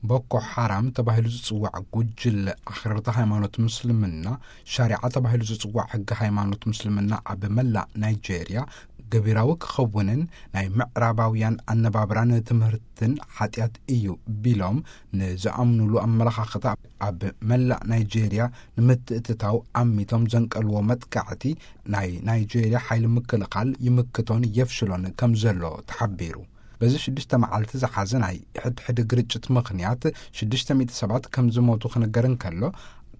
ቦኮ ሓራም ተባሂሉ ዝጽዋዕ ጉጅለ ኣኽረርቲ ሃይማኖት ምስልምና፣ ሻሪዓ ተባሂሉ ዝጽዋዕ ሕጊ ሃይማኖት ምስልምና ኣብ መላእ ናይጄርያ ገቢራዊ ክኸውንን ናይ ምዕራባውያን ኣነባብራን ትምህርትን ሓጢኣት እዩ ቢሎም ንዝኣምኑሉ ኣመለኻኽታ ኣብ መላእ ናይጄርያ ንምትእትታው ኣሚቶም ዘንቀልዎ መጥቃዕቲ ናይ ናይጄርያ ሓይሊ ምክልኻል ይምክቶን የፍሽሎን ከም ዘሎ ተሓቢሩ። በዚ ሽዱሽተ መዓልቲ ዝሓዘ ናይ ሕድሕድ ግርጭት ምኽንያት ሽዱሽተ ሚእቲ ሰባት ከም ዝሞቱ ክንገር እንከሎ፣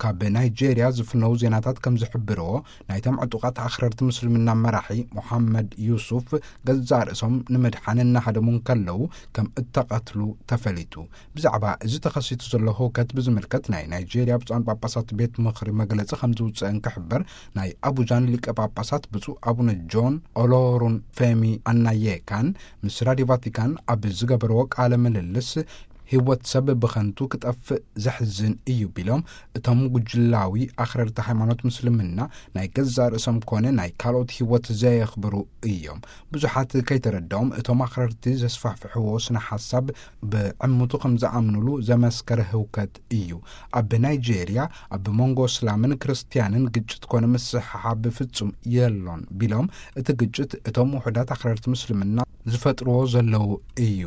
ካብ ናይጄርያ ዝፍነው ዜናታት ከም ዝሕብርዎ፣ ናይቶም ዕጡቓት ኣኽረርቲ ምስልምና መራሒ ሙሓመድ ዩሱፍ ገዛእ ርእሶም ንምድሓን እናሃደሙ እንከለዉ ከም እተቐትሉ ተፈሊጡ። ብዛዕባ እዚ ተኸሲቱ ዘሎ ህውከት ብዝምልከት ናይ ናይጄርያ ብፁዓን ጳጳሳት ቤት ምኽሪ መግለጺ ከም ዝውፅእ እንክሕበር፣ ናይ ኣቡጃን ሊቀ ጳጳሳት ብፁዕ ኣቡነ ጆን ኦሎሩን ፌሚ ኣናየካን ምስ ራዲዮ ቫቲካን ኣብ ዝገበርዎ ቃለ ምልልስ፣ ህይወት ሰብ ብኸንቱ ክጠፍእ ዘሕዝን እዩ ቢሎም፣ እቶም ጉጅላዊ ኣኽረርቲ ሃይማኖት ምስልምና ናይ ገዛእ ርእሶም ኮነ ናይ ካልኦት ህይወት ዘየኽብሩ እዮም። ብዙሓት ከይተረዳኦም እቶም ኣኽረርቲ ዘስፋሕፍሕዎ ስነ ሓሳብ ብዕምቱ ከም ዝኣምኑሉ ዘመስከረ ህውከት እዩ። ኣብ ናይጄርያ ኣብ መንጎ እስላምን ክርስትያንን ግጭት ኮነ ምስሕሓብ ብፍጹም የሎን ቢሎም፣ እቲ ግጭት እቶም ውሑዳት ኣኽረርቲ ምስልምና ዝፈጥርዎ ዘለዉ እዩ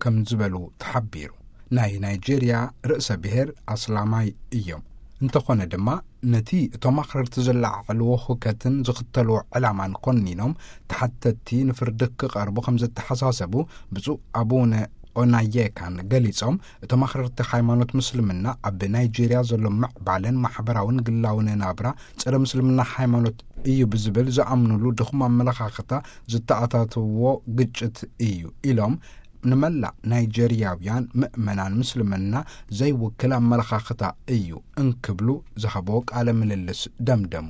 ከም ዝበሉ ተሓቢሩ። ናይ ናይጄርያ ርእሰ ብሔር ኣስላማይ እዮም። እንተኾነ ድማ፣ ነቲ እቶም ኣኽረርቲ ዘለዓዕልዎ ሁከትን ዝኽተልዎ ዕላማን ኮኒኖም፣ ተሓተትቲ ንፍርዲ ክቐርቡ ከም ዘተሓሳሰቡ ብፁዕ ኣቡነ ኦናየካን ገሊጾም፣ እቶም ኣኽረርቲ ሃይማኖት ምስልምና ኣብ ናይጄርያ ዘሎ ምዕባለን ማሕበራውን ግላውን ናብራ ጸረ ምስልምና ሃይማኖት እዩ ብዝብል ዝኣምኑሉ ድኹም ኣመለኻኽታ ዝተኣታተዎ ግጭት እዩ ኢሎም፣ ንመላእ ናይጄርያውያን ምእመናን ምስልምና ዘይውክል ኣመለኻኽታ እዩ እንክብሉ ዝሃብዎ ቃለ ምልልስ ደምደሙ።